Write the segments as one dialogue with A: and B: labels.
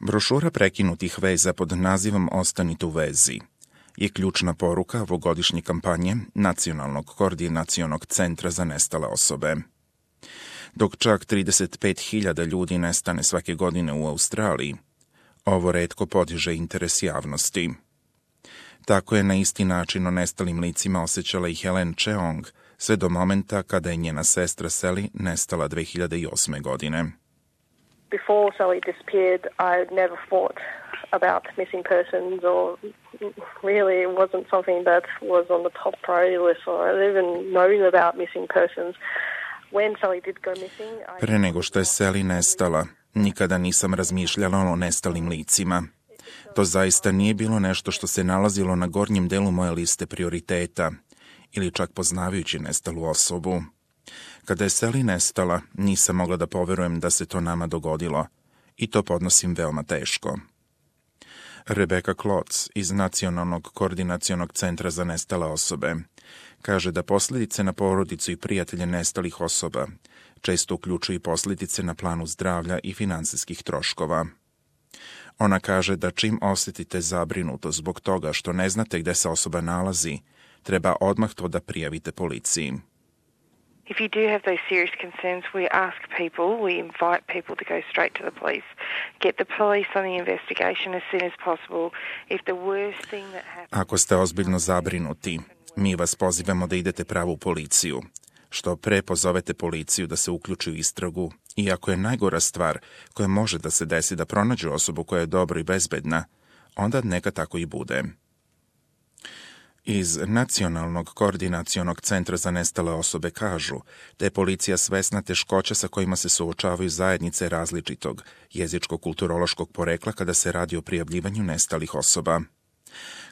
A: Brošura prekinutih veza pod nazivom Ostanite u vezi je ključna poruka ovogodišnje kampanje Nacionalnog koordinacionog centra za nestale osobe. Dok čak 35.000 ljudi nestane svake godine u Australiji, ovo retko podiže interes javnosti. Tako je na isti način o nestalim licima osjećala i Helen Cheong, sve do momenta kada je njena sestra Sally nestala 2008. godine.
B: Before Sally disappeared, I never thought about missing persons, or really it wasn't something that was on the top priority list, or I even known about missing persons. When Sally did go missing,
A: Pre nego što je Sally nestala, nikada nisam razmišljala o nestalim licima. To zaista nije bilo nešto što se nalazilo na gornjem delu moje liste prioriteta, ili čak poznavajući nestalu osobu. Kada je Sally nestala, nisam mogla da poverujem da se to nama dogodilo, i to podnosim veoma teško. Rebecca Klotz iz Nacionalnog koordinacionog centra za nestale osobe kaže da posljedice na porodicu i prijatelje nestalih osoba često uključuju i posljedice na planu zdravlja i finansijskih troškova. Ona kaže da čim osjetite zabrinutost zbog toga što ne znate gde se osoba nalazi, treba odmah to da prijavite policiji.
C: If you do have those serious concerns, we ask people, we invite people to go straight to the police, get the police on the investigation as soon as possible. If the worst thing that happens...
A: Ako ste ozbiljno zabrinuti, mi vas pozivamo da idete pravo u policiju. Što pre pozovete policiju da se uključi u istragu, i ako je najgora stvar koja može da se desi da pronađu osobu koja je dobro i bezbedna, onda neka tako i bude. Iz Nacionalnog koordinacionog centra za nestale osobe kažu da je policija svesna teškoća sa kojima se suočavaju zajednice različitog jezičko-kulturološkog porekla kada se radi o prijavljivanju nestalih osoba.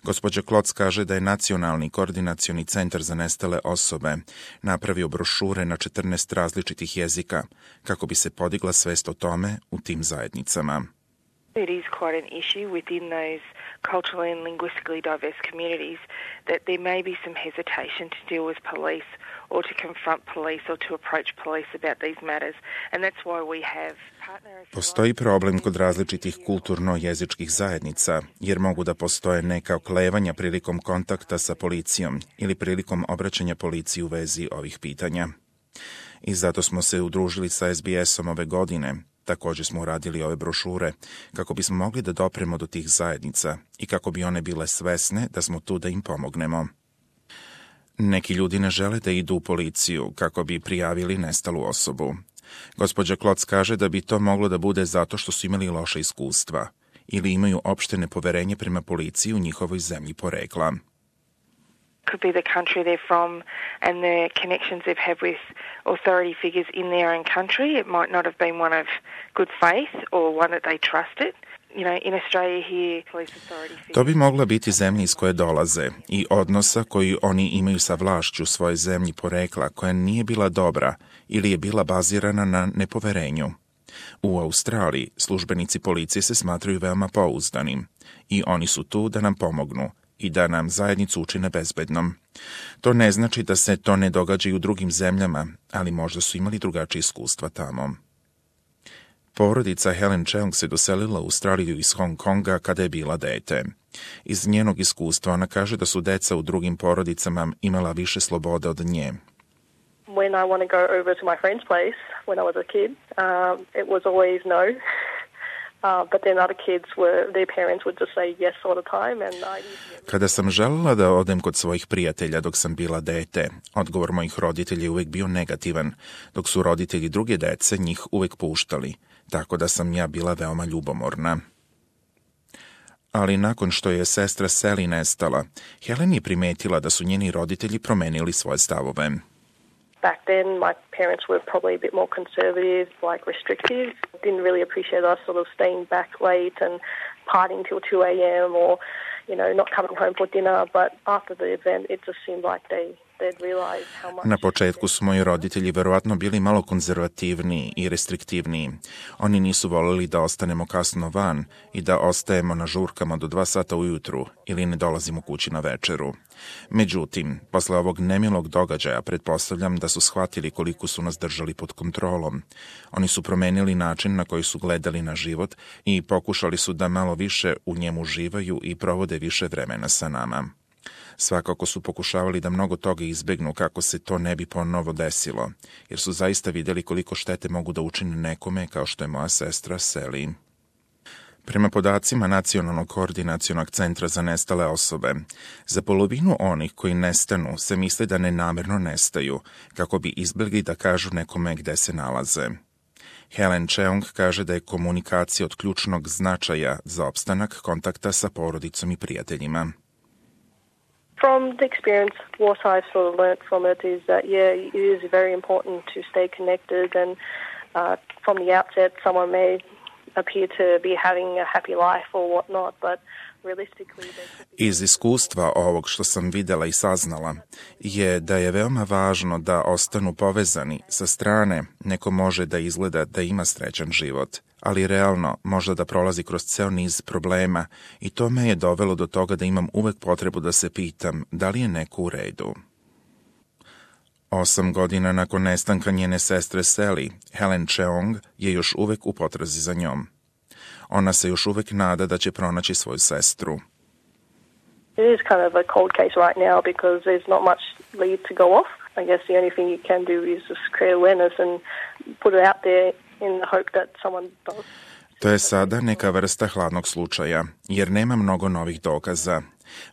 A: Gospođa Klotz kaže da je Nacionalni koordinacioni centar za nestale osobe napravio brošure na 14 različitih jezika kako bi se podigla svest o tome u tim zajednicama.
C: It is quite an issue within those culturally and linguistically diverse communities that there may be some hesitation to deal with police or to confront police or to approach police about these matters. And that's why we have partners...
A: Postoji problem kod različitih kulturno-jezičkih zajednica, jer mogu da postoje neka oklevanja prilikom kontakta sa policijom ili prilikom obraćanja policiji u vezi ovih pitanja. I zato smo se udružili sa SBS-om ove godine. Također smo uradili ove brošure kako bismo mogli da dopremo do tih zajednica i kako bi one bile svesne da smo tu da im pomognemo. Neki ljudi ne žele da idu u policiju kako bi prijavili nestalu osobu. Gospođa Klotz kaže da bi to moglo da bude zato što su imali loše iskustva ili imaju opšte nepoverenje prema policiji u njihovoj zemlji porekla.
C: Could be the country they're from and the connections they've had with authority figures in their own country. It might not have been one of good faith or one that they trusted. You know, in Australia here, police authority figures...
A: To bi mogla biti zemlja iz koje dolaze i odnosa koji oni imaju sa vlašću svoje zemlji porekla koja nije bila dobra ili je bila bazirana na nepoverenju. U Australiji službenici policije se smatraju veoma pouzdanim i oni su tu da nam pomognu i da nam zajednicu učine bezbednom. To ne znači da se to ne događa i u drugim zemljama, ali možda su imali drugačije iskustva tamo. Porodica Helen Cheong se doselila u Australiju iz Hong Konga kada je bila dete. Iz njenog iskustva ona kaže da su deca u drugim porodicama imala više slobode od nje.
B: When I want to go over to my friend's place when I was a kid, it was always no. But then other kids their parents would just say yes all the time.
A: Kada sam želela da odem kod svojih prijatelja dok sam bila dete, odgovor mojih roditelja je uvek bio negativan, dok su roditelji druge dece njih uvek puštali, tako da sam ja bila veoma ljubomorna. Ali nakon što je sestra Sally nestala, Helen je primetila da su njeni roditelji promenili svoje stavove.
B: Back then, my parents were probably a bit more conservative, like restrictive. Didn't really appreciate us sort of staying back late and partying till 2 a.m. or, you know, not coming home for dinner. But after the event, it just seemed like
A: Na početku su moji roditelji verovatno bili malo konzervativniji i restriktivniji. Oni nisu voljeli da ostanemo kasno van i da ostajemo na žurkama do 2 sata ujutru ili ne dolazimo kući na večeru. Međutim, posle ovog nemilog događaja pretpostavljam da su shvatili koliko su nas držali pod kontrolom. Oni su promenili način na koji su gledali na život i pokušali su da malo više u njemu uživaju i provode više vremena sa nama. Svakako su pokušavali da mnogo toga izbegnu kako se to ne bi ponovo desilo, jer su zaista vidjeli koliko štete mogu da učine nekome kao što je moja sestra Sally. Prema podacima Nacionalnog koordinacionog centra za nestale osobe, za polovinu onih koji nestanu se misle da nenamerno nestaju, kako bi izbjegli da kažu nekome gde se nalaze. Helen Cheung kaže da je komunikacija od ključnog značaja za opstanak kontakta sa porodicom i prijateljima.
B: From the experience, what I've sort of learnt from it is that, it is very important to stay connected, and from the outset, someone may appear to be having a happy life or whatnot, but realistically...
A: Iz iskustva ovog što sam vidjela i saznala je da je veoma važno da ostanu povezani. Sa strane neko može da izgleda da ima srećan život, ali realno možda da prolazi kroz ceo niz problema i to me je dovelo do toga da imam uvek potrebu da se pitam da li je neko u redu. 8 godina nakon nestanka njene sestre Sally, Helen Cheung je još uvek u potrazi za njom. Ona se još uvek nada da će pronaći svoju sestru.
B: It is kind of a cold case right now because there's not much lead to go off. I guess the only thing you can do is just create awareness and put it out there in the hope that someone does.
A: To je sada neka vrsta hladnog slučaja, jer nema mnogo novih dokaza.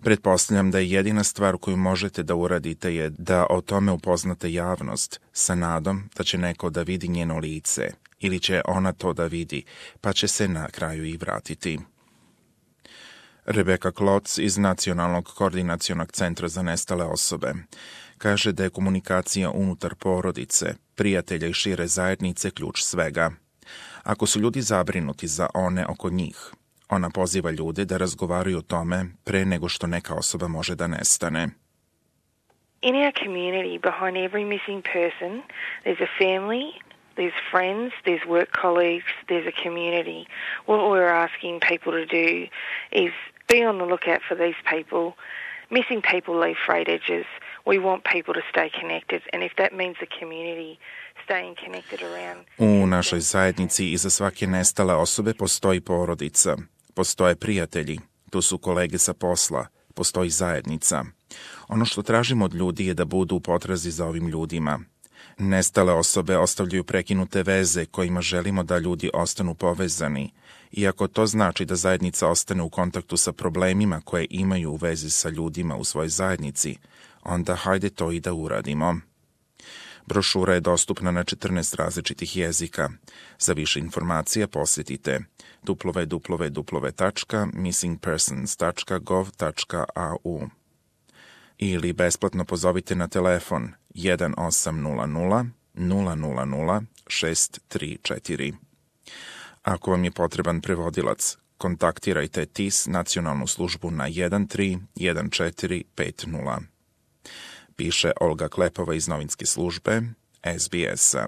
A: Pretpostavljam da je jedina stvar koju možete da uradite je da o tome upoznate javnost, sa nadom da će neko da vidi njeno lice, ili će ona to da vidi, pa će se na kraju i vratiti. Rebecca Klotz iz Nacionalnog koordinacionog centra za nestale osobe kaže da je komunikacija unutar porodice, prijatelja i šire zajednice ključ svega. Ako su ljudi zabrinuti za one oko njih, ona poziva ljude da razgovaraju o tome pre nego što neka osoba može da nestane.
C: In our community, behind every missing person, there's a family, there's friends, there's work colleagues, there's a community. What we're asking people to do is be on the lookout for these people. Missing people leave frayed edges. We want people to stay connected, and if that means the community staying connected around...
A: U našoj zajednici iza svake nestale osobe postoji porodica, postoje prijatelji, tu su kolege sa posla, postoji zajednica. Ono što tražimo od ljudi je da budu u potrazi za ovim ljudima. Nestale osobe ostavljaju prekinute veze kojima želimo da ljudi ostanu povezani, iako to znači da zajednica ostane u kontaktu sa problemima koje imaju u vezi sa ljudima u svojoj zajednici, onda hajde to i da uradimo. Brošura je dostupna na 14 različitih jezika. Za više informacija posjetite www.missingpersons.gov.au ili besplatno pozovite na telefon 1800 000 634. Ako vam je potreban prevodilac, kontaktirajte TIS nacionalnu službu na 131450. Piše Olga Klepova iz novinske službe SBS-a.